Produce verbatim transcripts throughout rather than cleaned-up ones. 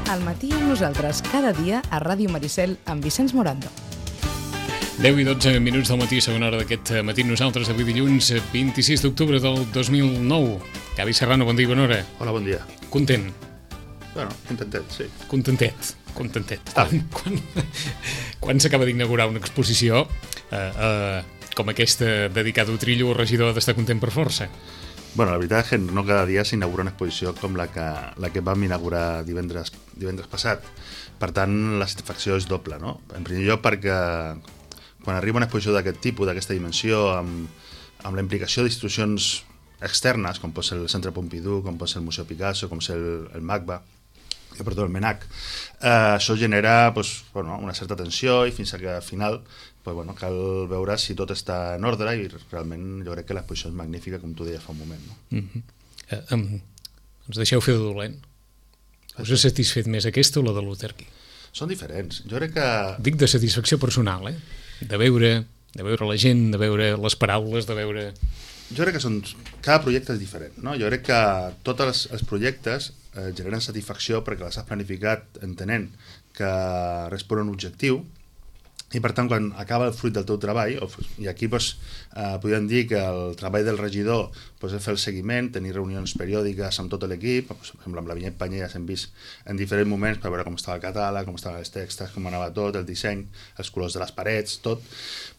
Al matí amb nosaltres, cada dia a Ràdio Maricel amb Vicenç Morando. deu i dotze minuts del matí, segona hora d'aquest matí nosaltres, avui dilluns vint-i-sis d'octubre del dos mil nou. Gavi Serrano, bon dia i bona hora. Hola, bon dia. Content? Bueno, contentet, sí. Contentet, contentet. Quan, quan, quan s'acaba d'inaugurar una exposició eh, eh, com aquesta dedicada a Trillo, el regidor ha d'estar content per força? Bueno, la veritat és que no cada dia s'inaugura una exposició com la que, la que vam inaugurar divendres, divendres passat. Per tant, la satisfacció és doble, no? En primer lloc perquè quan arriba una exposició d'aquest tipus, d'aquesta dimensió, amb, amb la implicació d'institucions externes, com pot ser el Centre Pompidou, com pot ser el Museu Picasso, com pot ser el, el MACBA, perdó, el MENAC, eh, això genera pues, bueno, una certa tensió i fins que al final pues, bueno, cal veure si tot està en ordre i realment jo crec que l'exposició és magnífica, com tu deies fa un moment. No? Mm-hmm. eh, um, ens deixeu fer de dolent. Us ha satisfet més aquesta o la de Luther King? Són diferents. Jo crec que... Dic de satisfacció personal, eh? De veure, de veure la gent, de veure les paraules, de veure... Jo crec que són, cada projecte és diferent, no? Jo crec que tots els, els projectes eh, generen satisfacció perquè les has planificat entenent que responen a un objectiu i per tant quan acaba el fruit del teu treball, i aquí doncs, eh, podríem dir que el treball del regidor doncs, és fer el seguiment, tenir reunions periòdiques amb tot l'equip, per exemple amb la Vinyet Panyelles hem vist en diferents moments per veure com estava el catàleg, com estaven els textos, com anava tot, el disseny, els colors de les parets, tot.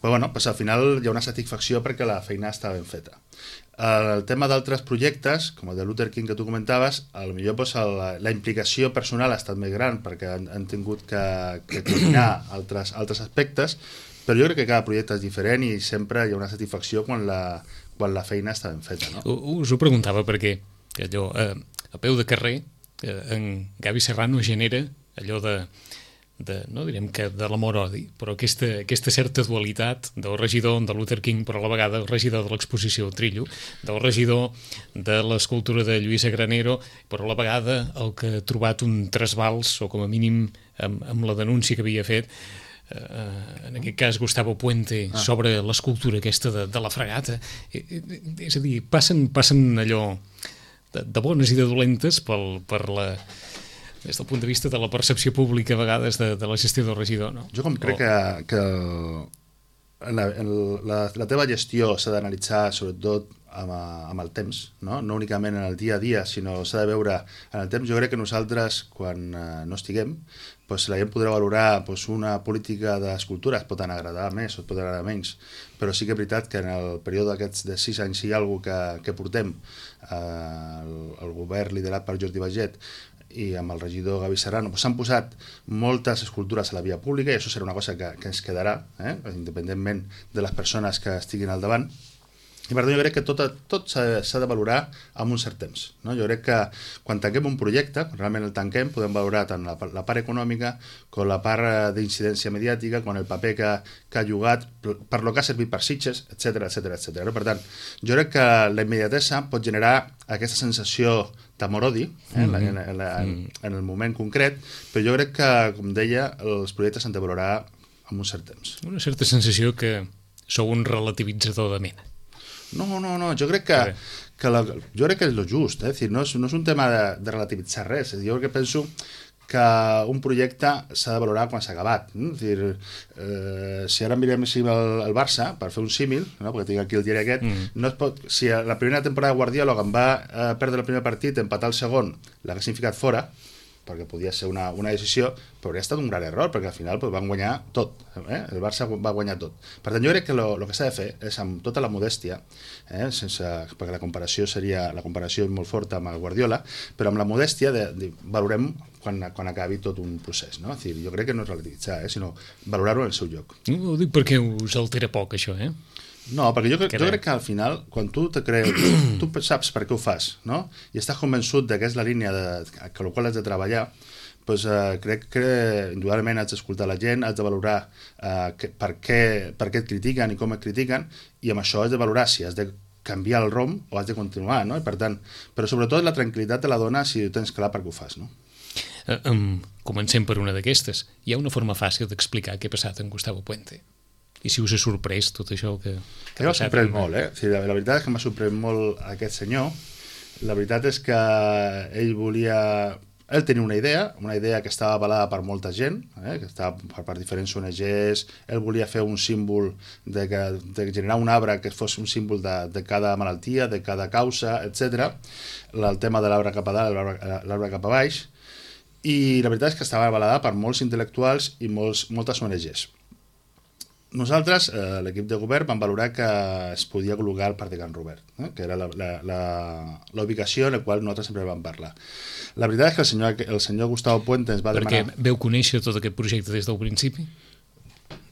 Però bueno, doncs, al final hi ha una satisfacció perquè la feina està ben feta. El tema d'altres projectes, com el de Luther King que tu comentaves, potser doncs, la, la implicació personal ha estat més gran perquè han, han tingut que, que coordinar altres, altres aspectes, però jo crec que cada projecte és diferent i sempre hi ha una satisfacció quan la, quan la feina està ben feta. No? Us ho preguntava perquè allò, eh, a peu de carrer eh, en Gavi Serrano genera allò de de, no direm que de l'amor-odi, però aquesta, aquesta certa dualitat del regidor de Luther King, però a la vegada el regidor de l'exposició Trillo, del regidor de l'escultura de Lluïsa Granero, però a la vegada el que ha trobat un trasbals, o com a mínim amb, amb la denúncia que havia fet, eh, en aquest cas Gustavo Puente, ah. sobre l'escultura aquesta de, de la fregata. Eh, eh, és a dir, passen, passen allò de, de bones i de dolentes pel, per la... des del punt de vista de la percepció pública a vegades de, de la gestió del regidor, no? Jo com crec que, que la, la, la teva gestió s'ha d'analitzar sobretot amb, amb el temps, no? No únicament en el dia a dia, sinó s'ha de veure en el temps. Jo crec que nosaltres, quan eh, no estiguem, pues, la gent podrà valorar pues, una política d'escultura, es pot agradar més o es pot agradar menys, però sí que és veritat que en el període d'aquests de sis anys hi ha alguna que, que portem eh, el, el govern liderat per Jordi Baiget i amb el regidor Gavi Serrano s'han pues, posat moltes escultures a la via pública i això serà una cosa que, que ens quedarà, eh? independentment de les persones que estiguin al davant. I per tant jo crec que tot, tot s'ha de valorar amb un cert temps. No? Jo crec que quan tanquem un projecte, quan realment el tanquem, podem valorar tant la, la part econòmica com la part d'incidència mediàtica, com el paper que, que ha jugat, per lo que ha servit per Sitges, etcètera, etcètera, etcètera. Per tant, jo crec que la immediatesa pot generar aquesta sensació d'amor-odi eh, en, en, en, en, en el moment concret, però jo crec que, com deia, els projectes s'han de valorar amb un cert temps. Una certa sensació que sou un relativitzador de mena. No, no, no, jo crec que, que, la, jo crec que és lo just, eh? Dir, no, és, no és un tema de, de relativitzar res, jo crec que penso que un projecte s'ha de valorar quan s'ha acabat. No? És dir, eh, si ara mirem si el, el Barça, per fer un símil, no? Perquè tinc aquí el diari aquest, mm. no es pot, si la primera temporada de Guardiola em va eh, perdre el primer partit, empatar el segon, l'haguessin ficat fora, perquè podia ser una, una decisió, però hauria estat un gran error, perquè al final pues, van guanyar tot, eh? El Barça va guanyar tot. Per tant, jo crec que el que s'ha de fer és amb tota la modèstia, eh? Sense, perquè la comparació seria, la comparació és molt forta amb el Guardiola, però amb la modèstia de, de, valorem quan, quan acabi tot un procés, no? És dir, jo crec que no és relativitzar, eh? Sinó valorar-ho en el seu lloc. No, ho dic perquè us altera poc, això, eh? No, perquè jo, jo crec que al final, quan tu te creus, tu saps per què ho fas, no? I estàs convençut que és la línia de, que la qual has de treballar, doncs, eh, crec que indudablement has d'escoltar la gent, has de valorar eh, que, per, què, per què et critiquen i com et critiquen, i amb això has de valorar si has de canviar el rom o has de continuar, no? I per tant, però sobretot la tranquil·litat te la dona si tens clar per què ho fas, no? Uh, um, comencem per una d'aquestes. Hi ha una forma fàcil d'explicar què ha passat en Gustavo Puente. I si us ha sorprès tot això que, que m'ha sorprès molt, eh? O sigui, la, la veritat és que m'ha sorprès molt aquest senyor. La veritat és que ell volia ell tenia una idea, una idea que estava avalada per molta gent, eh, que estava per, per diferents O N Ges, ell volia fer un símbol de, que, de generar un arbre que fos un símbol de, de cada malaltia, de cada causa, etcètera. El tema de l'arbre cap a dalt, l'arbre cap a baix, i la veritat és que estava avalada per molts intel·lectuals i molts, moltes O N Ges. Nosaltres, eh, l'equip de govern, vam valorar que es podia col·locar al Parc de Can Robert, eh, que era la, la, la, la ubicació en la qual nosaltres sempre vam parlar. La veritat és que el senyor, el senyor Gustavo Puente ens va Perquè demanar... Perquè veu conèixer tot aquest projecte des del principi?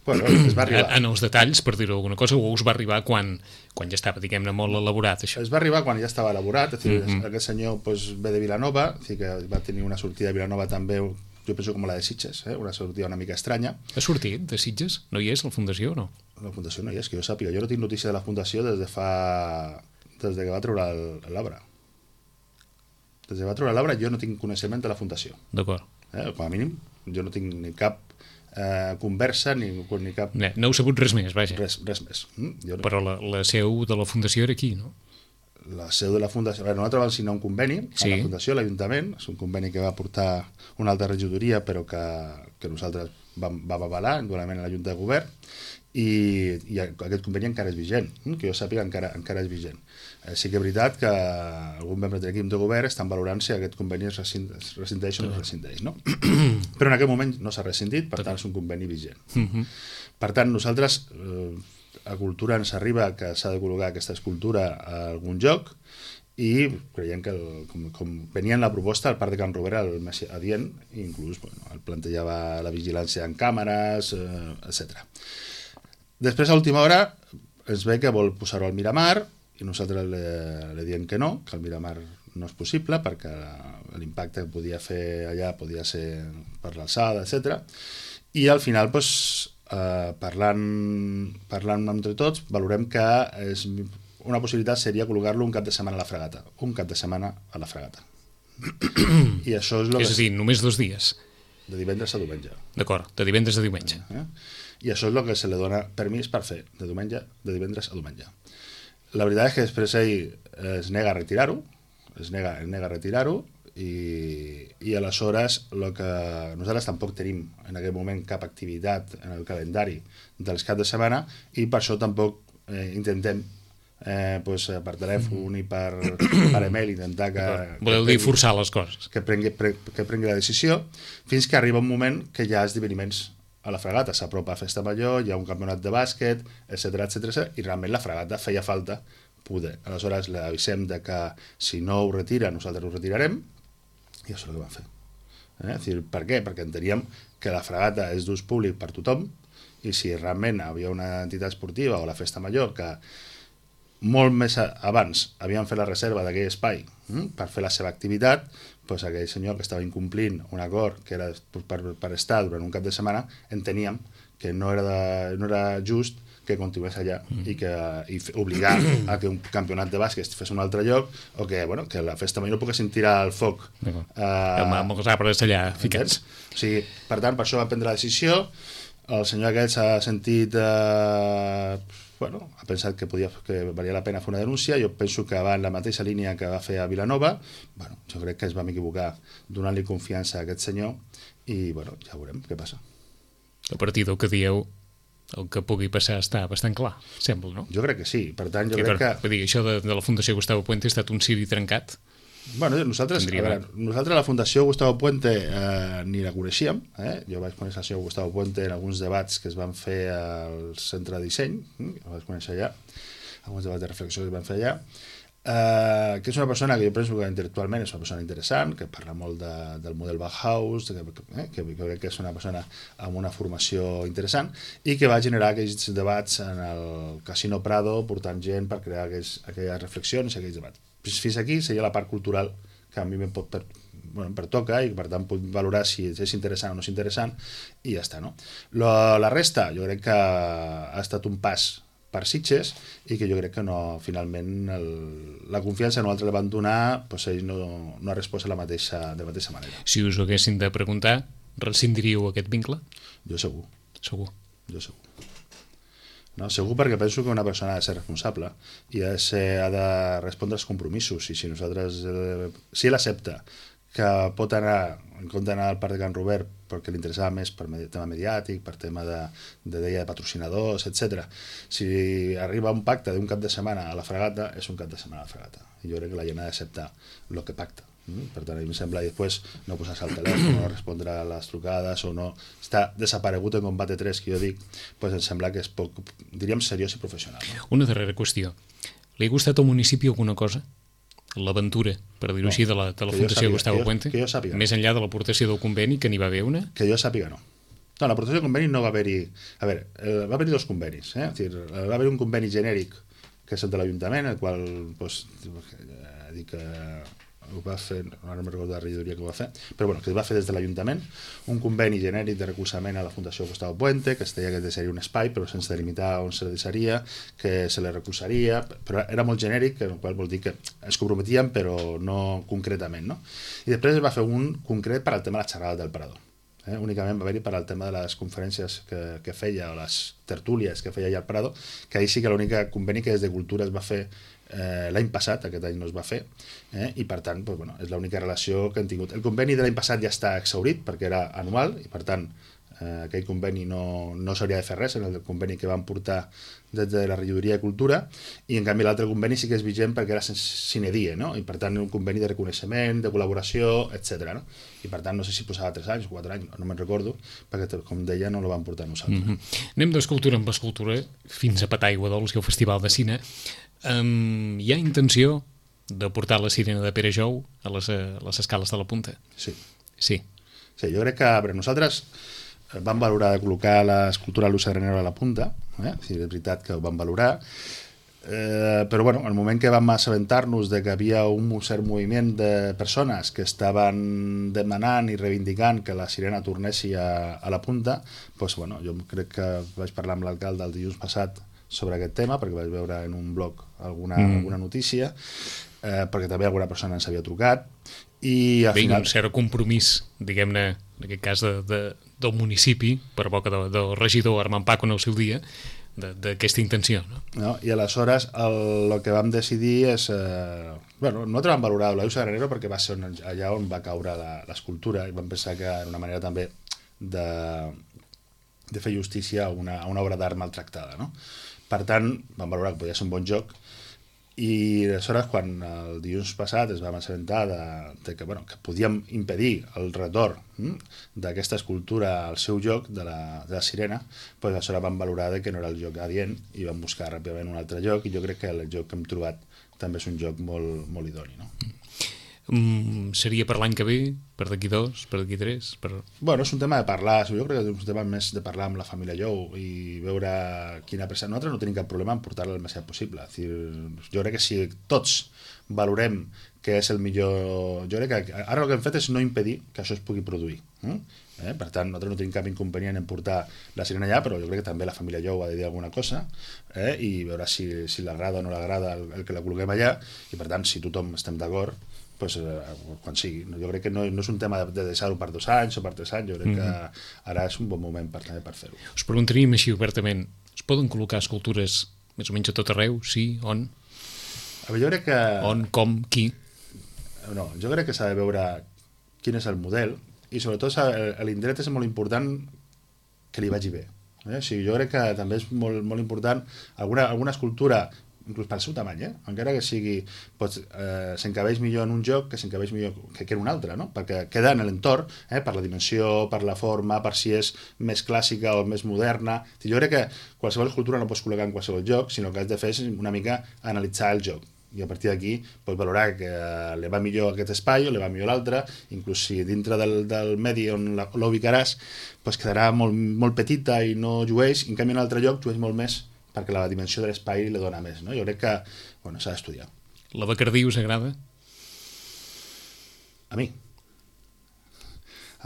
Bueno, es va arribar. En els detalls, per dir-ho alguna cosa, o us va arribar quan, quan ja estava, diguem-ne, molt elaborat, això? Es va arribar quan ja estava elaborat, és a dir, mm -hmm. aquest senyor pues, ve de Vilanova, és a dir, que va tenir una sortida de Vilanova també, jo penso com la de Sitges, eh? Una sortida una mica estranya. Ha sortit de Sitges? No hi és, la Fundació, o no? La Fundació no hi és, que jo sàpiga. Jo no tinc notícia de la Fundació des de fa... des de que va treure l'arbre. Des de que va treure l'arbre jo no tinc coneixement de la Fundació. D'acord. Eh? Com a mínim, jo no tinc ni cap eh, conversa ni, ni cap... No, no heu sabut res més, vaja. Res, res més. Mm? Jo no... Però la, la seu de la Fundació era aquí, no? La seu de la Fundació... Veure, nosaltres vam signar un conveni sí. amb la Fundació, l'Ajuntament, és un conveni que va portar una altra regidoria, però que, que nosaltres vam, vam avalar, igualment a la Junta de Govern, i, i aquest conveni encara és vigent, que jo sàpiga encara, encara és vigent. Eh, sí que és veritat que algun membre de l'equip de govern estan valorant si aquest conveni es rescindeix o no es rescindeix, no? Però en aquest moment no s'ha rescindit, per tant és un conveni vigent. Uh -huh. Per tant, nosaltres... Eh, a Cultura ens arriba que s'ha de col·locar aquesta escultura a algun lloc i creiem que el, com, com venia en la proposta el Parc de Can Robert el més adient i inclús bueno, el plantejava la vigilància en càmeres, eh, etcètera. Després a última hora es ve que vol posar-ho al Miramar i nosaltres li, li diem que no, que el Miramar no és possible perquè l'impacte que podia fer allà podia ser per l'alçada, etcètera. I al final doncs, Uh, parlant, parlant entre tots, valorem que és, una possibilitat seria col·locar-lo un cap de setmana a la Fragata. Un cap de setmana a la Fragata. I això és... Lo és a dir, només dos dies. De divendres a diumenge. D'acord, de divendres a diumenge. Eh? I això és el que se li dona permís per fer, de diumenge, de divendres a diumenge. La veritat és que després ell es nega a retirar-ho, es nega, es nega a retirar-ho, i, i aleshores el que nosaltres tampoc tenim en aquest moment cap activitat en el calendari dels caps de setmana i per això tampoc eh, intentem eh, pues, per telèfon mm. i per, per email intentar que... Voleu dir forçar les coses. Que prengui, pre, que prengui la decisió fins que arriba un moment que hi ha esdeveniments a la Fragata, s'apropa a Festa Major, hi ha un campionat de bàsquet, etcètera, etcètera, i realment la Fragata feia falta poder. Aleshores l'avisem de que si no ho retira nosaltres ho retirarem i això és el que vam fer. Eh? És dir, per què? Perquè enteníem que la Fragata és d'ús públic per tothom i si realment havia una entitat esportiva o la Festa Major que molt més abans havien fet la reserva d'aquell espai hm? per fer la seva activitat, doncs aquell senyor que estava incomplint un acord que era per, per estar durant un cap de setmana, enteníem que no era, de, no era just que continués allà mm. i, que, i obligar a que un campionat de bàsquet fes un altre lloc o que, bueno, que la Festa Major no poguessin tirar el foc uh, amb els arbres allà ficats. O sigui, per tant, per això va prendre la decisió. El senyor aquest s'ha sentit eh, bueno, ha pensat que, podia, que valia la pena fer una denúncia. Jo penso que va en la mateixa línia que va fer a Vilanova. Bueno, jo crec que es vam equivocar donant-li confiança a aquest senyor i bueno, ja veurem què passa. A partir del que dieu, el que pugui passar està bastant clar, sembla, no? Jo crec que sí. Per tant, jo I crec per, que... Vull dir, això de, de la Fundació Gustavo Puente ha estat un ciri trencat? Bueno, nosaltres, a veure, nosaltres la Fundació Gustavo Puente eh, ni la coneixíem. Eh? Jo vaig conèixer el senyor Gustavo Puente en alguns debats que es van fer al Centre de Disseny, eh? el vaig conèixer allà, alguns debats de reflexió que es van fer allà, eh, que és una persona que jo penso que intel·lectualment és una persona interessant, que parla molt de, del model Bauhaus, que, eh, que, que crec que és una persona amb una formació interessant i que va generar aquells debats en el Casino Prado portant gent per crear aquells, aquelles reflexions i aquells debats. Fins aquí seria la part cultural que a mi em pot per, bueno, em pertoca i per tant puc valorar si és interessant o no és interessant i ja està, no? La, la resta jo crec que ha estat un pas per Sitges i que jo crec que no, finalment el, la confiança no altre la van donar, doncs ells no, no ha respost de la mateixa, de la mateixa manera. Si us ho haguessin de preguntar, rescindiríeu aquest vincle? Jo segur. Segur. Jo segur. No, segur perquè penso que una persona ha de ser responsable i ha de, ser, ha de respondre als compromisos i si nosaltres, eh, si ell accepta que pot anar, en compte d'anar al Parc de Can Robert perquè li interessava més per tema mediàtic, per tema de, de deia de patrocinadors, etcètera. Si arriba un pacte d'un cap de setmana a la Fragata, és un cap de setmana a la Fragata. I jo crec que la gent ha d'acceptar el que pacta. Per tant, a mi em sembla, i després no posar-se al telèfon, no respondre a les trucades o no està desaparegut en Combate tres, que jo dic, doncs em sembla que és poc, diríem, seriós i professional. No? Una darrera qüestió. Li ha gustat al municipi alguna cosa? L'aventura, per dir-ho no, així, de la, de la Fundació sàpiga, Gustavo Puente? Que jo sàpiga. Més enllà de l'aportació del conveni, que n'hi va haver una? Que jo sàpiga, no. No, l'aportació del conveni no va haver-hi... A veure, eh, va haver-hi dos convenis. Eh? És dir, va haver un conveni genèric, que és el de l'Ajuntament, el qual, doncs, eh, dic que ho va fer, ara no me'n recordo la regidoria que ho va fer, però bueno, que es va fer des de l'Ajuntament, un conveni genèric de recolzament a la Fundació Gustavo Puente, que es deia que seria un espai, però sense delimitar on se deixaria, que se li recolzaria, però era molt genèric, el qual vol dir que es comprometien, però no concretament, no? I després es va fer un concret per al tema de la xerrada del Parador. Eh? Únicament va haver-hi per al tema de les conferències que, que feia, o les tertúlies que feia allà al Prado, que ahir sí que l'única conveni que des de Cultura es va fer eh, l'any passat, aquest any no es va fer, eh? I per tant, doncs, bueno, és l'única relació que han tingut. El conveni de l'any passat ja està exhaurit perquè era anual i per tant eh, aquell conveni no, no s'hauria de fer res, en el conveni que van portar des de la regidoria de Cultura, i en canvi l'altre conveni sí que és vigent perquè era sine die, no? I per tant un conveni de reconeixement, de col·laboració, etcètera. No? I per tant no sé si posava tres anys o quatre anys, no me'n recordo, perquè com deia no el van portar nosaltres. Mm-hmm. Anem d'escultura amb escultura fins a Pataigua Dols i el Festival de Cine. Um, hi ha intenció de portar la sirena de Pere Jou a les, a les escales de la Punta? Sí. Sí. Sí, jo crec que per nosaltres vam valorar de col·locar l'escultura Luisa Granero a la Punta, eh? Sí, és veritat que ho vam valorar, eh, però bueno, al moment que vam assabentar-nos de que havia un cert moviment de persones que estaven demanant i reivindicant que la sirena tornessi a, a la Punta, doncs, bueno, jo crec que vaig parlar amb l'alcalde el dilluns passat sobre aquest tema, perquè vaig veure en un blog alguna, mm. alguna notícia, eh, perquè també alguna persona ens havia trucat, i al Bé, final... un cert compromís, diguem-ne, en aquest cas de, de, del municipi, per boca de, del regidor Armand Paco en el seu dia, d'aquesta intenció. No? No? I aleshores el, el que vam decidir és... Eh, bueno, nosaltres vam valorar la Luisa Granero perquè va ser on, allà on va caure l'escultura i vam pensar que era una manera també de, de fer justícia a una, a una obra d'art maltractada. No? Per tant, vam valorar que podia ser un bon joc. I aleshores, quan el dilluns passat es vam assabentar de, de que, bueno, que podíem impedir el retorn hm, d'aquesta escultura al seu joc de la, de la sirena, doncs aleshores vam valorar de que no era el joc adient i vam buscar ràpidament un altre joc, i jo crec que el joc que hem trobat també és un joc molt, molt idoni. No? Mm, seria per l'any que ve? Per d'aquí dos? Per d'aquí tres? Per... Bueno, és un tema de parlar, jo crec que és un tema més de parlar amb la família Jou i veure quina pressa. Nosaltres no tenim cap problema en portar-la el més aviat possible. És dir, jo crec que si tots valorem que és el millor... Jo crec que ara el que hem fet és no impedir que això es pugui produir. Eh? Eh? Per tant, nosaltres no tenim cap inconvenient en portar la sirena allà, però jo crec que també la família Jou ha de dir alguna cosa, eh? I veure si, si l'agrada o no l'agrada el, el que la col·loquem allà, i per tant, si tothom estem d'acord, pues, eh, quan sigui. Jo crec que no, no és un tema de, de deixar-ho per dos anys o per tres anys, jo crec mm-hmm. que ara és un bon moment per, per fer-ho. Us preguntaríem així obertament, es poden col·locar escultures més o menys a tot arreu? Sí? On? A veure, jo crec que... On? Com? Qui? No, jo crec que s'ha de veure quin és el model i sobretot l'indret és molt important que li vagi bé. Eh? O sigui, jo crec que també és molt, molt important alguna, alguna escultura inclús pel seu tamany, eh? Encara que sigui doncs, eh, s'encabeix millor en un joc que s'encabeix millor que, que en un altre, no? Perquè queda en l'entorn, eh? Per la dimensió, per la forma, per si és més clàssica o més moderna. Jo crec que qualsevol escultura no pots col·locar en qualsevol joc, sinó que has de fer és una mica analitzar el joc i a partir d'aquí pots valorar que li va millor aquest espai o li va millor l'altre, inclús si dintre del, del medi on l'ubicaràs doncs quedarà molt, molt petita i no llueix, en canvi en un altre lloc llueix molt més perquè la dimensió de l'espai li dona més. No? Jo crec que bueno, s'ha d'estudiar. La Bacardí us agrada? A mi.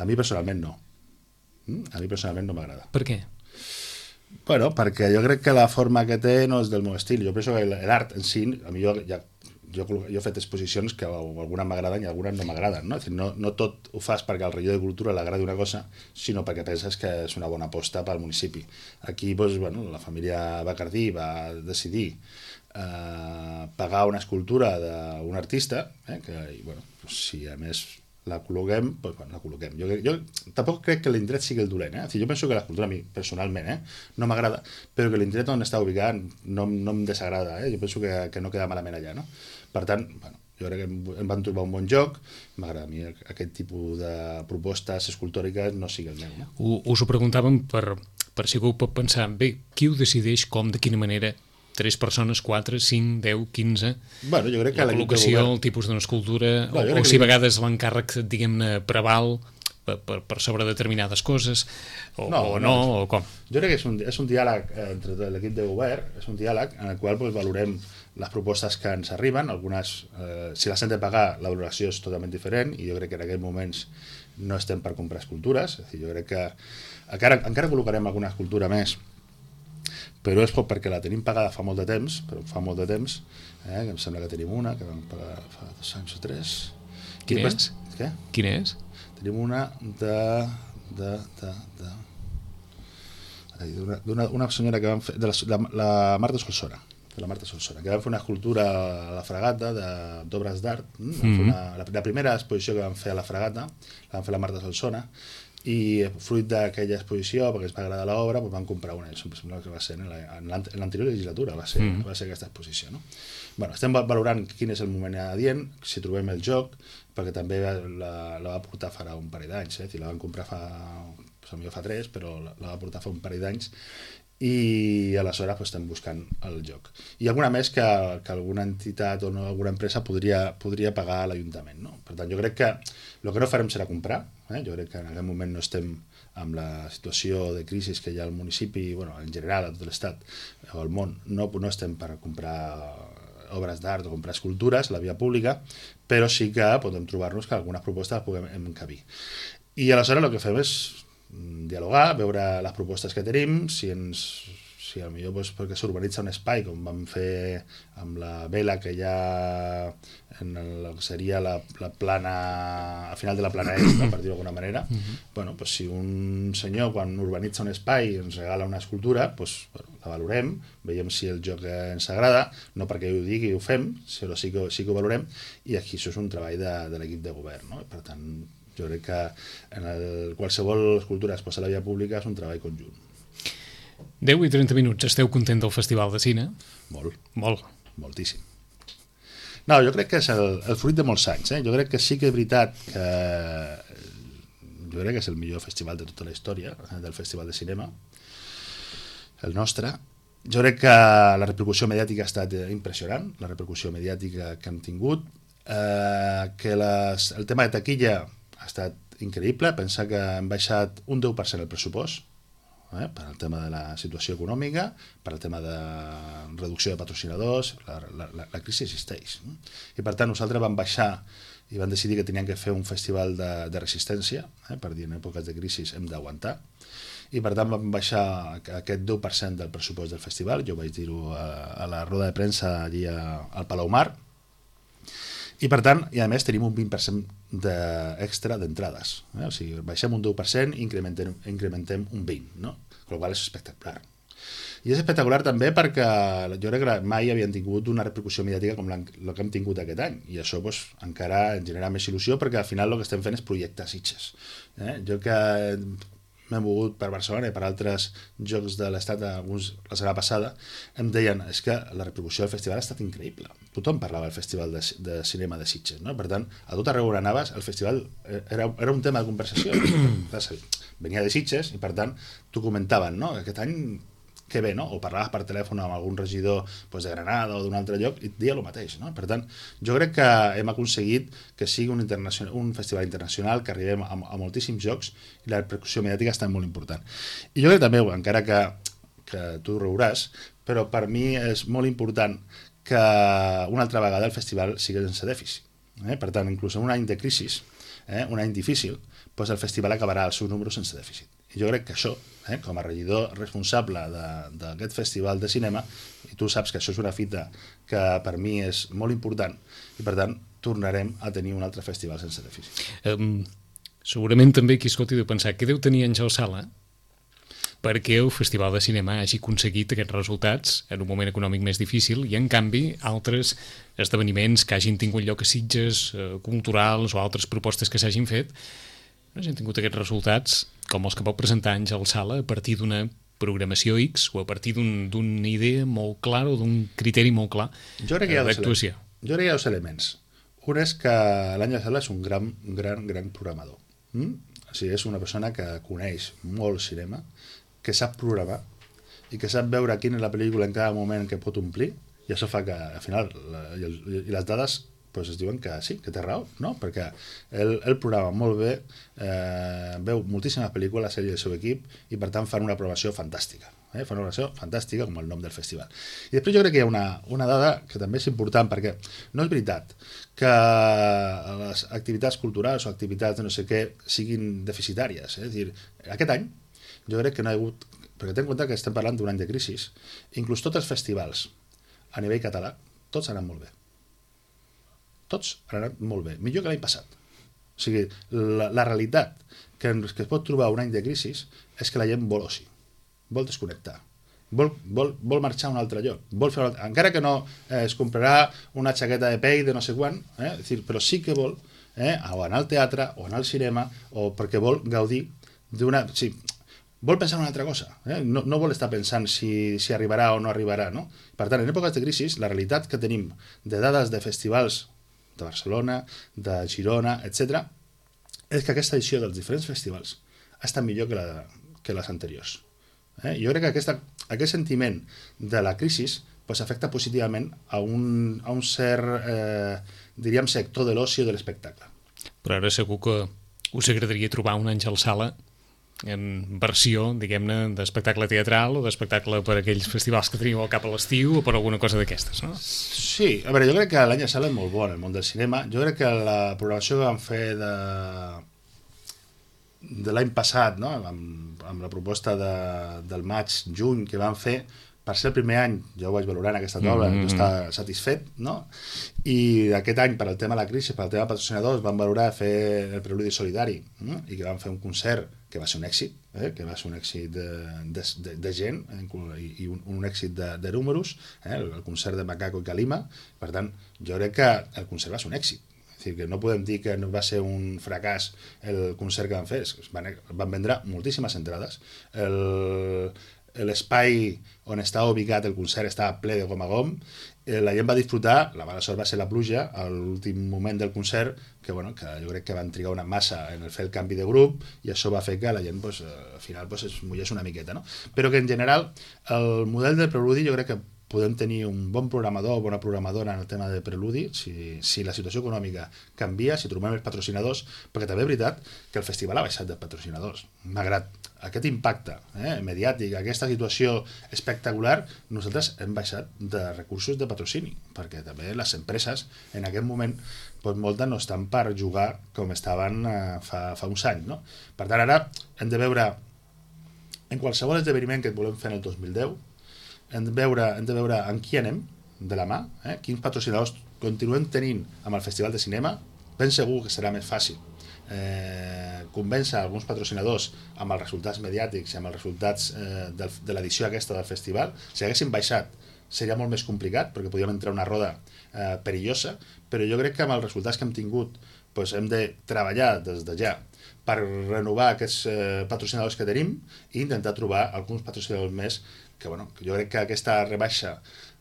A mi personalment no. A mi personalment no m'agrada. Per què? Bueno, perquè jo crec que la forma que té no és del meu estil. Jo penso que l'art en si, a mi jo, ja, jo, jo he fet exposicions que algunes m'agraden i algunes no m'agraden. No? No, no tot ho fas perquè al regidor de Cultura l'agradi una cosa, sinó perquè penses que és una bona aposta pel municipi. Aquí doncs, bueno, la família Bacardí va decidir eh, pagar una escultura d'un artista, eh, que bueno, doncs, si a més la col·loquem, pues, bueno, la col·loquem. Jo, jo tampoc crec que l'indret sigui el dolent, eh? O sigui, jo penso que l'escultura a mi, personalment, eh, no m'agrada, però que l'indret on està ubicat no, no em desagrada, eh? Jo penso que, que no queda malament allà, no? Per tant, bueno, jo crec que em van trobar un bon joc, m'agrada a mi aquest tipus de propostes escultòriques no sigui el meu, no? Us ho preguntàvem per, per si algú pot pensar, bé, qui ho decideix, com, de quina manera? Tres persones, quatre, cinc, deu, quinze... Bueno, jo crec que la col·locació, govern... el tipus d'una escultura, no, o, o si a vegades l'encàrrec, diguem-ne, preval per, per, per sobre determinades coses, o no, o, no, no, o com? Jo crec que és un, és un diàleg entre l'equip de govern, és un diàleg en el qual pues, valorem les propostes que ens arriben, algunes, eh, si les hem de pagar, la valoració és totalment diferent, i jo crec que en aquests moments no estem per comprar escultures, és a dir, jo crec que encara, encara col·locarem alguna escultura més, però és perquè la tenim pagada fa molt de temps, però fa molt de temps, eh, que em sembla que tenim una, que vam pagar fa dos anys o tres. Quina és? Què? Quina és? Tenim una de... de, de, de d'una una senyora que vam fer, de la, la, la Marta Solsona, de la Marta Solsona, que vam fer una escultura a la Fragata d'obres d'art, mm-hmm. una, la, la primera exposició que vam fer a la Fragata, la vam fer la Marta Solsona, i fruit d'aquella exposició, perquè ens va agradar l'obra, doncs vam comprar una, em sembla que va ser en l'anterior legislatura, va ser, mm. va ser aquesta exposició, no? Bueno, estem valorant quin és el moment adient, si trobem el joc, perquè també la, la va portar farà un parell d'anys, eh? La van comprar fa, potser fa tres, però la, la va portar fa un parell d'anys, i aleshores pues, estem buscant el joc. I alguna més que, que alguna entitat o no, alguna empresa podria, podria pagar a l'Ajuntament, no? Per tant, jo crec que el que no farem serà comprar, eh? Jo crec que en aquest moment no estem amb la situació de crisi que hi ha al municipi, bueno, en general a tot l'estat o al món, no, no estem per comprar obres d'art o comprar escultures a la via pública, però sí que podem trobar-nos que algunes propostes les puguem encabir. I aleshores el que fem és dialogar, veure les propostes que tenim, si ens si potser doncs, perquè s'urbanitza un espai com vam fer amb la vela que hi ha en el que seria la, la plana al final de la plana est, per dir-ho d'alguna manera, uh-huh. bueno, doncs, si un senyor quan urbanitza un espai ens regala una escultura, doncs, bueno, la valorem, veiem si el joc ens agrada, no perquè ho digui ho fem, però sí que, sí que ho valorem, i aquí això és un treball de, de l'equip de govern, no? Per tant, jo crec que en el, qualsevol escultura es posa a la via pública és un treball conjunt. deu i trenta minuts. Esteu content del Festival de Cine? Molt. Molt. Moltíssim. No, jo crec que és el, el fruit de molts anys. Eh? Jo crec que sí que és veritat que jo crec que és el millor festival de tota la història del Festival de Cinema, el nostre. Jo crec que la repercussió mediàtica ha estat impressionant, la repercussió mediàtica que hem tingut, eh, que les, el tema de taquilla ha estat increïble, pensar que hem baixat un deu per cent el pressupost, Eh, per al tema de la situació econòmica, per al tema de reducció de patrocinadors, la, la, la crisi existeix. No? I per tant nosaltres vam baixar i vam decidir que teníem que fer un festival de, de resistència, eh, per dir en èpoques de crisi hem d'aguantar, i per tant vam baixar aquest deu per cent del pressupost del festival, jo vaig dir-ho a, a la roda de premsa allí a, al Palau Mar, i per tant, i a més tenim un vint per cent de extra d'entrades, eh? O sigui, baixem un deu per cent i incrementem, incrementem un vint per cent, no? Amb la qual és espectacular. I és espectacular també perquè jo crec que mai havien tingut una repercussió mediàtica com la que hem tingut aquest any, i això doncs, encara ens genera més il·lusió perquè al final el que estem fent és projectar Sitges. Eh? Jo que m'he mogut per Barcelona i per altres jocs de l'estat, alguns la setmana passada, em deien, és que la repercussió del festival ha estat increïble. Tothom parlava del festival de, de cinema de Sitges, no? Per tant, a tot arreu on anaves, el festival era, era un tema de conversació. Venia de Sitges i, per tant, t'ho comentaven, no? Aquest any que bé, no? O parlaves per telèfon amb algun regidor doncs, de Granada o d'un altre lloc i et dia el mateix, no? Per tant, jo crec que hem aconseguit que sigui un, un festival internacional, que arribem a, a moltíssims jocs i la repercussió mediàtica està molt important. I jo crec també, encara que, que tu riuràs, però per mi és molt important que una altra vegada el festival sigui sense dèficit. Eh? Per tant, inclús en un any de crisi, eh? un any difícil, doncs el festival acabarà els seus números sense dèficit. I jo crec que això, eh, com a regidor responsable d'aquest festival de cinema, i tu saps que això és una fita que per mi és molt important, i per tant tornarem a tenir un altre festival sense dèficit. Um, segurament també qui escolti deu pensar, què deu tenir Àngel Sala? perquè el Festival de Cinema hagi aconseguit aquests resultats en un moment econòmic més difícil i, en canvi, altres esdeveniments que hagin tingut lloc a Sitges, eh, culturals o altres propostes que s'hagin fet, no hagin tingut aquests resultats com els que pot presentar Àngel Sala a partir d'una programació X o a partir d'una un, idea molt clara o d'un criteri molt clar d'actuació. Jo crec que hi ha dos elements. Un és que l'Àngel Sala és un gran, gran, gran programador. Mm? O sigui, és una persona que coneix molt cinema, que sap programar i que sap veure quina és la pel·lícula en cada moment que pot omplir, i això fa que al final la, i, el, i les dades pues, es diuen que sí, que té raó, no? Perquè ell, ell programa molt bé, eh, veu moltíssimes pel·lícules ell i el seu equip i per tant fan una programació fantàstica, eh? Fan una programació fantàstica com el nom del festival. I després jo crec que hi ha una, una dada que també és important, perquè no és veritat que les activitats culturals o activitats de no sé què siguin deficitàries, eh? És a dir, aquest any jo crec que no hi ha hagut, perquè ten en compte que estem parlant d'un any de crisi, inclús tots els festivals a nivell català, tots han anat molt bé. Tots han anat molt bé, millor que l'any passat. O sigui, la, la realitat que, que es pot trobar un any de crisi és que la gent vol oci, vol desconnectar, vol, vol, vol marxar a un altre lloc, vol fer, encara que no eh, es comprarà una jaqueta de pell de no sé quan, eh, és dir, però sí que vol eh, o anar al teatre o anar al cinema o perquè vol gaudir d'una... Sí, vol pensar en una altra cosa, eh? no, no vol estar pensant si, si arribarà o no arribarà, no? Per tant, en èpoques de crisi, la realitat que tenim de dades de festivals de Barcelona, de Girona, etcètera, és que aquesta edició dels diferents festivals ha estat millor que, la, que les anteriors. Eh? Jo crec que aquesta, aquest sentiment de la crisi pues, afecta positivament a un, a un cert, eh, diríem, sector de l'oci o de l'espectacle. Però ara segur que us agradaria trobar un Àngel Sala en versió, diguem-ne, d'espectacle teatral o d'espectacle per aquells festivals que teniu al cap a l'estiu o per alguna cosa d'aquestes, no? Sí, a veure, jo crec que l'any Sala és molt bo en el món del cinema. Jo crec que la programació que vam fer de, de l'any passat, no? amb, amb la proposta de, del maig-juny que vam fer, per ser el primer any, jo ho vaig valorar en aquesta taula, mm-hmm. jo estava satisfet, no? I aquest any, per al tema de la crisi, per al tema de patrocinadors, vam valorar fer el Preludi Solidari, no? I que vam fer un concert que va ser un èxit, eh? que va ser un èxit de, de, de, de gent i, i un, un èxit de, de números, eh? el, el concert de Macaco i Calima. Per tant, jo crec que el concert va ser un èxit. És dir, que no podem dir que no va ser un fracàs el concert que van fer, van, van vendre moltíssimes entrades. El, l'espai on estava ubicat el concert estava ple de gom a gom, eh, la gent va disfrutar, la mala sort va ser la pluja a l'últim moment del concert, que, bueno, que jo crec que van trigar una massa en el fer el canvi de grup i això va fer que la gent pues, al final pues, es mullés una miqueta, no? Però que en general el model del Preludi jo crec que podem tenir un bon programador o bona programadora en el tema de Preludi si, si la situació econòmica canvia, si trobem els patrocinadors, perquè també és veritat que el festival ha baixat de patrocinadors. Malgrat aquest impacte eh, mediàtic, aquesta situació espectacular, nosaltres hem baixat de recursos de patrocini, perquè també les empreses en aquest moment doncs moltes no estan per jugar com estaven eh, fa, fa uns anys, no? Per tant, ara hem de veure en qualsevol esdeveniment que et volem fer en el dos mil deu, hem de veure, hem de veure amb qui anem de la mà, eh? Quins patrocinadors continuem tenint amb el Festival de Cinema. Ben segur que serà més fàcil eh, convèncer alguns patrocinadors amb els resultats mediàtics i amb els resultats eh, de, de l'edició aquesta del festival. Si haguéssim baixat seria molt més complicat perquè podríem entrar una roda eh, perillosa, però jo crec que amb els resultats que hem tingut doncs hem de treballar des de ja per renovar aquests eh, patrocinadors que tenim i intentar trobar alguns patrocinadors més que, bueno, que jo crec que aquesta rebaixa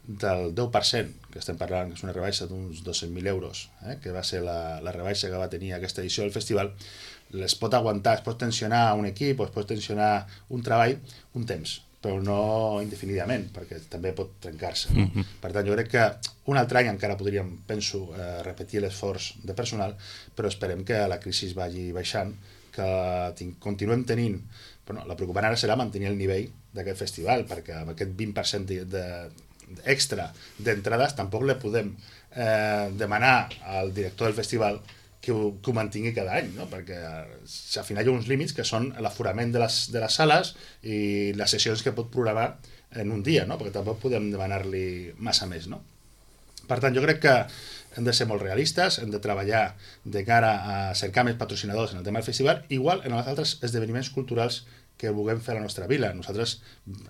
del deu per cent, que estem parlant, que és una rebaixa d'uns dos-cents mil euros, eh, que va ser la, la rebaixa que va tenir aquesta edició del festival, les pot aguantar, es pot tensionar un equip o es pot tensionar un treball un temps, però no indefinidament, perquè també pot trencar-se. No? Mm-hmm. Per tant, jo crec que un altre any encara podríem, penso, eh, repetir l'esforç de personal, però esperem que la crisi vagi baixant, que tin- continuem tenint. Bueno, la preocupant ara serà mantenir el nivell d'aquest festival, perquè amb aquest vint per cent de, de, extra d'entrades tampoc le podem eh, demanar al director del festival que ho, que ho mantingui cada any, no? Perquè al final hi ha uns límits que són l'aforament de les, de les sales i les sessions que pot programar en un dia, no? Perquè tampoc podem demanar-li massa més, no? Per tant, jo crec que hem de ser molt realistes, hem de treballar de cara a cercar més patrocinadors en el tema del festival, igual en els altres esdeveniments culturals que vulguem fer a la nostra vila. Nosaltres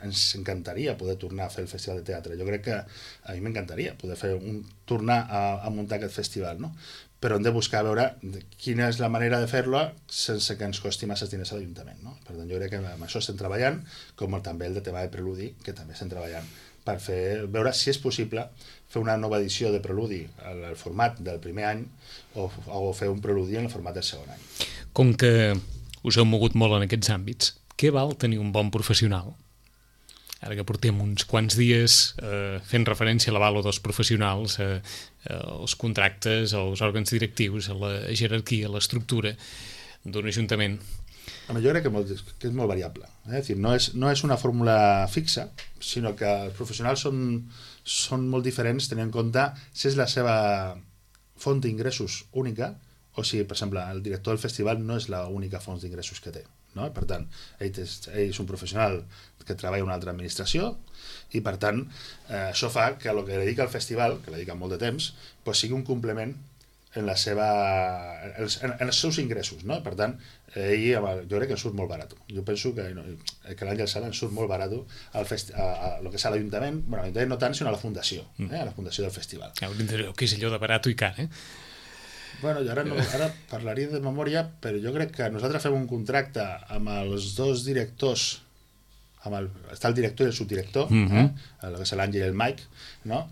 ens encantaria poder tornar a fer el festival de teatre. Jo crec que a mi m'encantaria poder fer un, tornar a, a muntar aquest festival, no? Però hem de buscar veure quina és la manera de fer-lo sense que ens costi massa diners a l'Ajuntament, no? Per tant, jo crec que amb això estem treballant, com també el de tema de Preludi, que també estem treballant per fer, veure si és possible fer una nova edició de Preludi al format del primer any o, o fer un Preludi en el format del segon any. Com que us heu mogut molt en aquests àmbits, què val tenir un bon professional? Ara que portem uns quants dies eh, fent referència a l'avalo dels professionals, eh, als contractes, als òrgans directius, a la jerarquia, a l'estructura d'un ajuntament. Jo crec que, molt, que és molt variable. Eh? És dir, no, és, no és una fórmula fixa, sinó que els professionals són, són molt diferents tenint en compte si és la seva font d'ingressos única o si, per exemple, el director del festival no és l'única font d'ingressos que té. No? Per tant, ell és, ell és un professional que treballa en una altra administració i, per tant, eh, això fa que el que dedica al festival, que dedica molt de temps, pues, sigui un complement en, la seva, en, els, en els seus ingressos. No? Per tant, ell, jo crec que surt molt barat. Jo penso que, no, que l'Àngel Sala ens surt molt barat al festi a, a, a lo que és a l'Ajuntament, bueno, a l'Ajuntament no tant, sinó a la Fundació, eh? A la Fundació del Festival. Ja, que és allò de barat i car, eh? Bueno, jo ara, no, ara parlaria de memòria, però jo crec que nosaltres fem un contracte amb els dos directors, amb el, està el director i el subdirector, mm-hmm. eh? El que és l'Àngel i el Mike, no?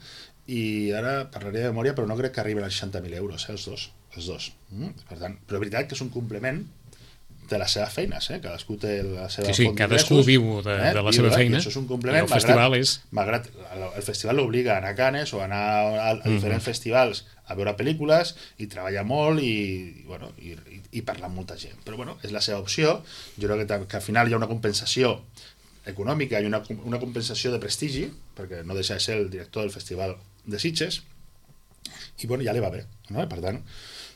I ara parlaria de memòria, però no crec que arriben als seixanta mil euros, eh? els dos. Els dos. Mm? Per tant, però és veritat que és un complement de les seves feines, eh? Cadascú té la seva sí, sí, font cadascú viu de, eh? de la seva viu, feina, i això és un complement, i el festival malgrat, és... malgrat el festival l'obliga a anar a Canes o a anar a, a diferents mm-hmm. festivals a veure pel·lícules i treballar molt i, i, bueno, i, i, i parlar amb molta gent, però bueno, és la seva opció. Jo crec que, que al final hi ha una compensació econòmica i una, una compensació de prestigi, perquè no deixa de ser el director del festival de Sitges i bueno, ja li va bé, no? Per tant,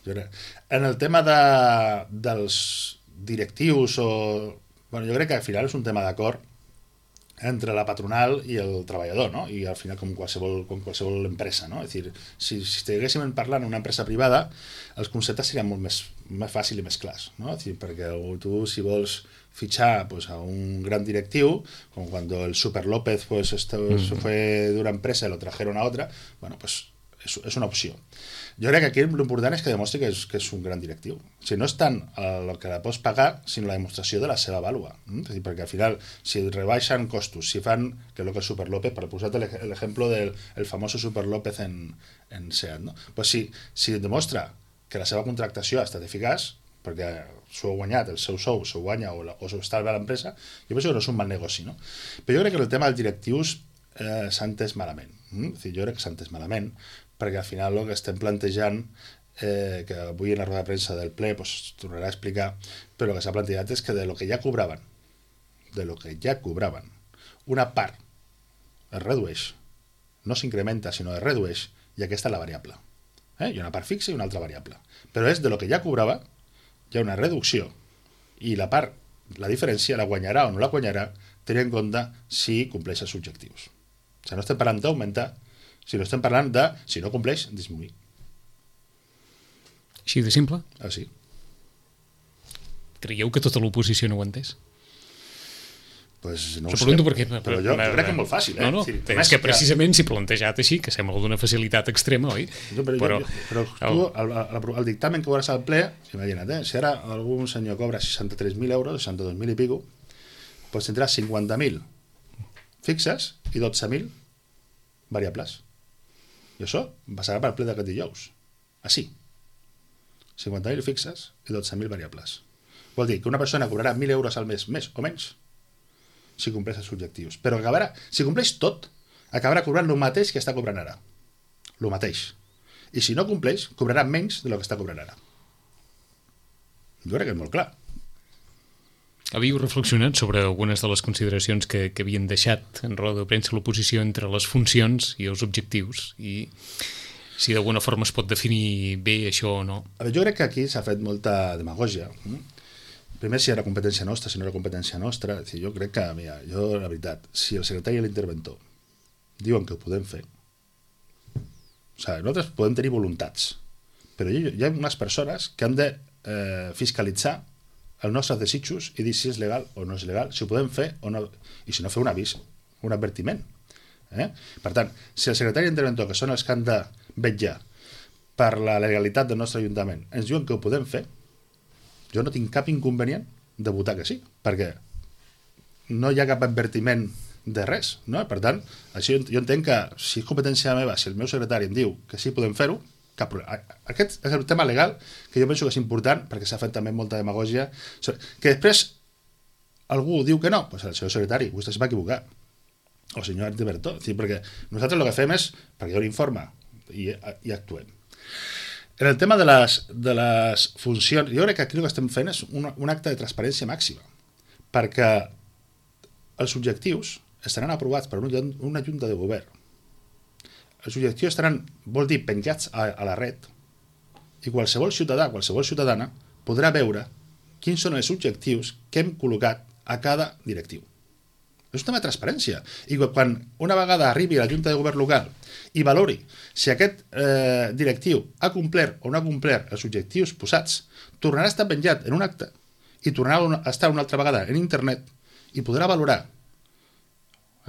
jo crec... en el tema de, dels directius o... Bueno, jo crec que al final és un tema d'acord entre la patronal i el treballador, no? I al final com qualsevol, com qualsevol empresa, no? És dir, si, si estiguéssim parlant d'una empresa privada, els conceptes serien molt més, més fàcils i més clars, no? És dir, perquè tu, si vols fitxar pues, a un gran directiu, com quan el Super López pues, esto, mm. se fue de una empresa y lo trajeron a otra, bueno, pues és, és una opció. Jo crec que aquí l'important és que demostri que és, que és un gran directiu. O sigui, no és tant el que la pots pagar, sinó la demostració de la seva vàlua. Mm? És dir, perquè al final, si rebaixen costos, si fan, que és el que el Super López, per posar l'exemple del el famoso Super López en, en SEAT, no? Pues si, si demostra que la seva contractació ha estat eficaç, perquè s'ho ha guanyat, el seu sou s'ho guanya o, la, o s'ho estalva a l'empresa, jo penso que no és un mal negoci, no? Però jo crec que el tema dels directius eh, s'ha entès malament. Mm? És dir, jo crec que s'ha entès malament, perquè al final el que estem plantejant, eh, que avui en la roda de premsa del ple pues, tornarà a explicar, però el que s'ha plantejat és que de lo que ja cobraven, de lo que ja cobraven, una part es redueix, no s'incrementa, sinó es redueix, i aquesta és la variable. Eh? Hi ha una part fixa i una altra variable. Però és de lo que ja cobrava, hi ha una reducció, i la part, la diferència, la guanyarà o no la guanyarà, tenint en compte si compleix els objectius. O sigui, no estem parlant d'augmentar, si no estem parlant de, si no compleix, disminuir. Així de simple? Ah, sí. Creieu que tota l'oposició no ho ha entès? Pues no ho sé, perquè, però jo, jo crec que és molt fàcil. Eh? No, no, és, dir, és que precisament si plantejat així, que sembla d'una facilitat extrema, oi? No, però, però, jo, però tu, el, el, el dictamen que veuràs al ple, imagina't, eh? Si ara algun senyor cobra seixanta-tres mil euros, seixanta-dos mil i pico, pues tindrà cinquanta mil fixes i dotze mil variables. I això passarà per ple d'aquest dijous. Així. cinquanta mil fixes i dotze mil variables. Vol dir que una persona cobrarà mil euros al mes, més o menys, si compleix els objectius. Però acabarà, si compleix tot, acabarà cobrant el mateix que està cobrant ara. El mateix. I si no compleix, cobrarà menys del que està cobrant ara. Jo crec que és molt clar. Havíeu reflexionat sobre algunes de les consideracions que, que havien deixat en roda de premsa l'oposició entre les funcions i els objectius i si d'alguna forma es pot definir bé això o no? A veure, jo crec que aquí s'ha fet molta demagògia. Primer, si era competència nostra, si no era competència nostra. Jo crec que, mira, jo, la veritat, si el secretari i l'interventor diuen que ho podem fer, O sigui, nosaltres podem tenir voluntats, però hi ha unes persones que han de eh, fiscalitzar els nostres desitjos i dir si és legal o no és legal, si ho podem fer o no, i si no fer un avís, un advertiment. Eh? Per tant, si el secretari d'interventor, que són els que han de vetllar per la legalitat del nostre Ajuntament, ens diuen que ho podem fer, jo no tinc cap inconvenient de votar que sí, perquè no hi ha cap advertiment de res, no? Per tant, així jo entenc que si és competència meva, si el meu secretari em diu que sí podem fer-ho, cap problema. Aquest és el tema legal que jo penso que és important, perquè s'ha fet també molta demagògia, que després algú diu que no, doncs el senyor secretari, vostè es va equivocar, o el senyor Artiberto, perquè nosaltres el que fem és, perquè jo l'informa i, i actuem. En el tema de les, de les funcions, jo crec que aquí el que estem fent és un, un acte de transparència màxima, perquè els objectius estaran aprovats per una, una junta de govern. Els objectius estaran, vol dir, penjats a, a la red, i qualsevol ciutadà, qualsevol ciutadana podrà veure quins són els objectius que hem col·locat a cada directiu. És un tema de transparència. I quan una vegada arribi a la junta de govern local i valori si aquest eh, directiu ha complert o no ha complert els objectius posats, tornarà a estar penjat en un acte i tornarà a estar una altra vegada en internet i podrà valorar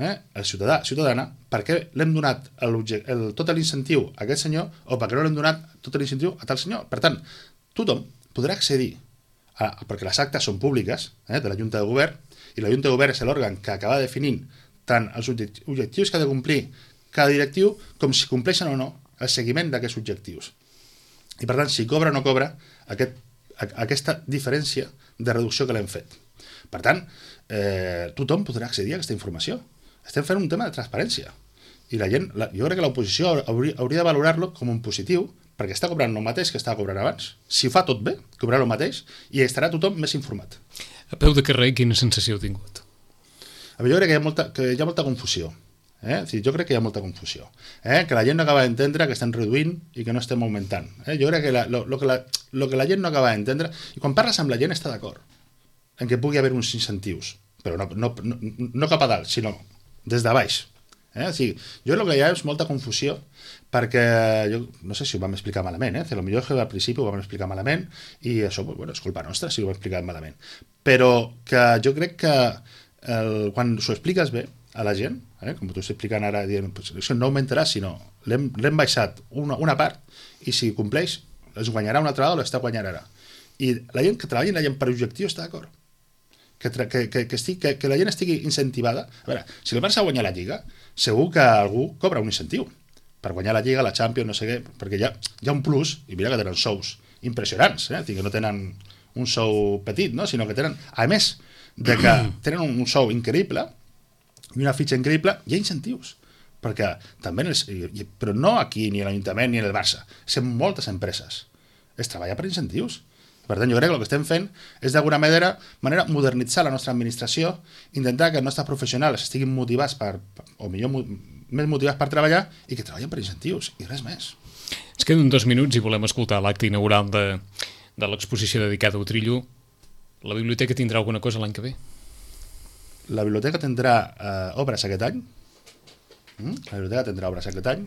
eh, el ciutadà, ciutadana, per què l'hem donat el, el, tot l'incentiu a aquest senyor o per què no l'hem donat tot l'incentiu a tal senyor. Per tant, tothom podrà accedir, a, perquè les actes són públiques eh, de la junta de govern, i la Junta de Govern és l'òrgan que acaba definint tant els objectius que ha de complir cada directiu com si compleixen o no el seguiment d'aquests objectius. I per tant, si cobra o no cobra aquest, aquesta diferència de reducció que l'hem fet. Per tant, eh, tothom podrà accedir a aquesta informació. Estem fent un tema de transparència. I la gent, la, jo crec que l'oposició hauria, hauria de valorar-lo com un positiu perquè està cobrant el mateix que estava cobrant abans. Si ho fa tot bé, cobrarà el mateix i estarà tothom més informat. A peu de carrer, quina sensació heu tingut? A veure, jo crec que hi ha molta, que hi ha molta confusió. Eh? Sí, jo crec que hi ha molta confusió. Eh? Que la gent no acaba d'entendre que estem reduint i que no estem augmentant. Eh? Jo crec que la, lo, lo, que la, lo que la gent no acaba d'entendre... I quan parles amb la gent està d'acord en que pugui haver uns incentius, però no, no, no, no cap a dalt, sinó des de baix. Eh? O sigui, jo crec que hi ha és molta confusió perquè jo no sé si ho vam explicar malament, eh? Potser que al principi ho vam explicar malament i això, bueno, és culpa nostra si ho vam explicar malament. Però que jo crec que el, quan s'ho expliques bé a la gent, eh? Com t'ho estic explicant ara, dient, pues, això no augmentarà, sinó l'hem, l'hem baixat una, una part i si compleix es guanyarà una altra vegada o l'està guanyant ara. I la gent que treballa la gent per objectiu està d'acord. Que, que, que, que, estigui, que, que la gent estigui incentivada. A veure, si el Barça guanya la Lliga, segur que algú cobra un incentiu per guanyar la Lliga, la Champions, no sé què, perquè hi ha, hi ha un plus, i mira que tenen sous impressionants, eh? Que no tenen un sou petit, no? Sinó que tenen, a més de que tenen un sou increïble i una fitxa increïble, hi ha incentius, perquè també, els, però no aquí, ni a l'Ajuntament, ni en el Barça, és en moltes empreses, es treballa per incentius. Per tant, jo crec que el que estem fent és d'alguna manera, manera modernitzar la nostra administració, intentar que els nostres professionals estiguin motivats per, o millor més motivats per treballar i que treballen per incentius i res més. Ens queden dos minuts i volem escoltar l'acte inaugural de, de l'exposició dedicada a Utrillo. La biblioteca tindrà alguna cosa l'any que ve? La biblioteca tindrà eh, obres aquest any. Mm? La biblioteca tindrà obres aquest any.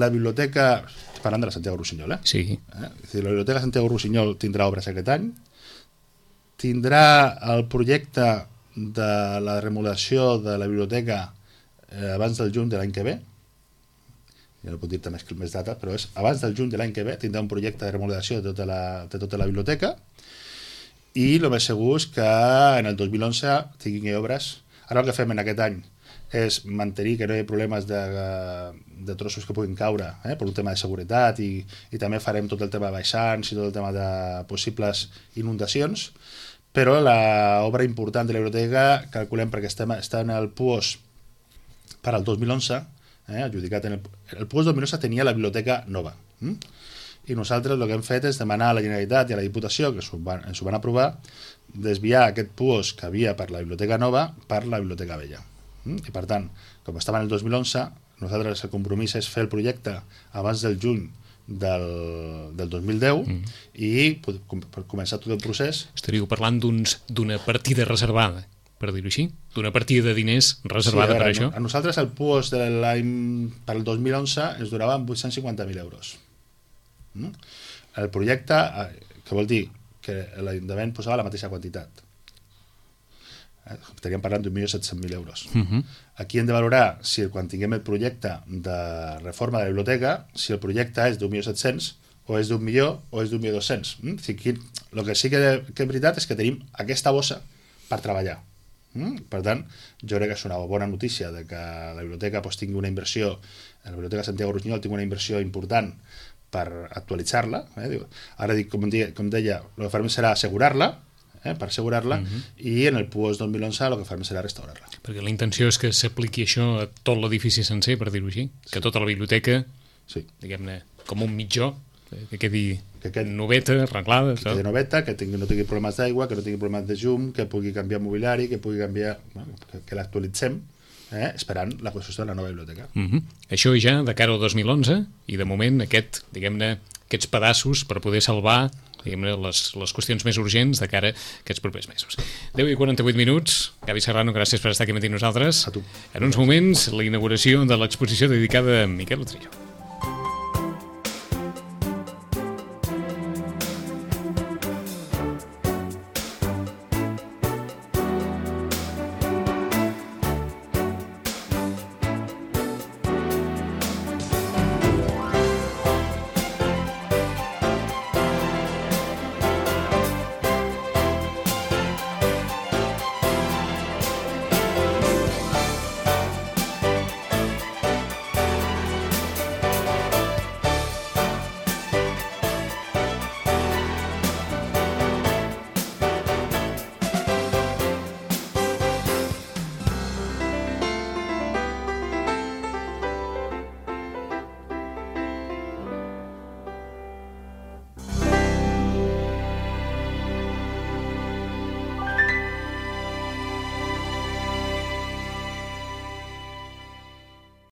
La biblioteca... Parlant de la Santiago Rossinyol, eh? Sí. Eh? La biblioteca Santiago Rossinyol tindrà obres aquest any. Tindrà el projecte de la remodelació de la biblioteca eh, abans del juny de l'any que ve. Ja no puc dir-te més, més data, però és abans del juny de l'any que ve tindrà un projecte de remodelació de tota la, de tota la biblioteca i el més segur és que en el dos mil onze tinguin obres. Ara el que fem en aquest any és mantenir que no hi ha problemes de, de trossos que puguin caure eh, per un tema de seguretat i, i també farem tot el tema de baixants i tot el tema de possibles inundacions, però l'obra important de la biblioteca calculem perquè estem, està en el P U O S per al dos mil onze, eh, adjudicat en el, el P U O S dos mil onze tenia la biblioteca nova hm? I nosaltres el que hem fet és demanar a la Generalitat i a la Diputació, que ens ho van, ens ho van aprovar, desviar aquest P U O S que havia per la biblioteca nova per la biblioteca vella. I per tant, com estava en el dos mil onze, nosaltres el compromís és fer el projecte abans del juny del, del dos mil deu mm. i per començar tot el procés. Estaríeu parlant d'una partida reservada per dir-ho així, d'una partida de diners reservada sí, a veure, per això. A nosaltres el P U O S de l'any per el dos mil onze ens durava vuit-cents cinquanta mil euros. Mm? El projecte, que vol dir que l'Ajuntament posava la mateixa quantitat. Estaríem parlant d'un milió set-cents mil euros. Uh -huh. Aquí hem de valorar si quan tinguem el projecte de reforma de la biblioteca, si el projecte és d'un milió set-cents o és d'un milió o és d'un milió dos-cents. Mm? O sigui, el que sí que, que és veritat és que tenim aquesta bossa per treballar. Mm? Per tant, jo crec que és una bona notícia de que la biblioteca pues, tingui una inversió, la biblioteca Santiago Rusiñol tingui una inversió important per actualitzar-la. Eh? Ara dic, com, deia, com deia, el que farem serà assegurar-la, eh, per assegurar-la, uh -huh. i en el P U O S dos mil onze el que farem serà restaurar-la. Perquè la intenció és que s'apliqui això a tot l'edifici sencer, per dir-ho així, que tota la biblioteca, sí. diguem-ne, com un mitjó, que quedi que aquest, noveta, arreglada. Que quedi noveta, que tingui, no tingui problemes d'aigua, que no tingui problemes de llum, que pugui canviar mobiliari, que pugui canviar... Bueno, que, que l'actualitzem, eh, esperant la construcció de la nova biblioteca. Uh -huh. Això ja de cara al dos mil onze, i de moment aquest, diguem-ne, aquests pedaços per poder salvar diguem-ne, les, les qüestions més urgents de cara a aquests propers mesos. deu i quaranta-vuit minuts. Gavi Serrano, gràcies per estar aquí amb nosaltres. A tu. En uns moments, la inauguració de l'exposició dedicada a Miquel Utrillo.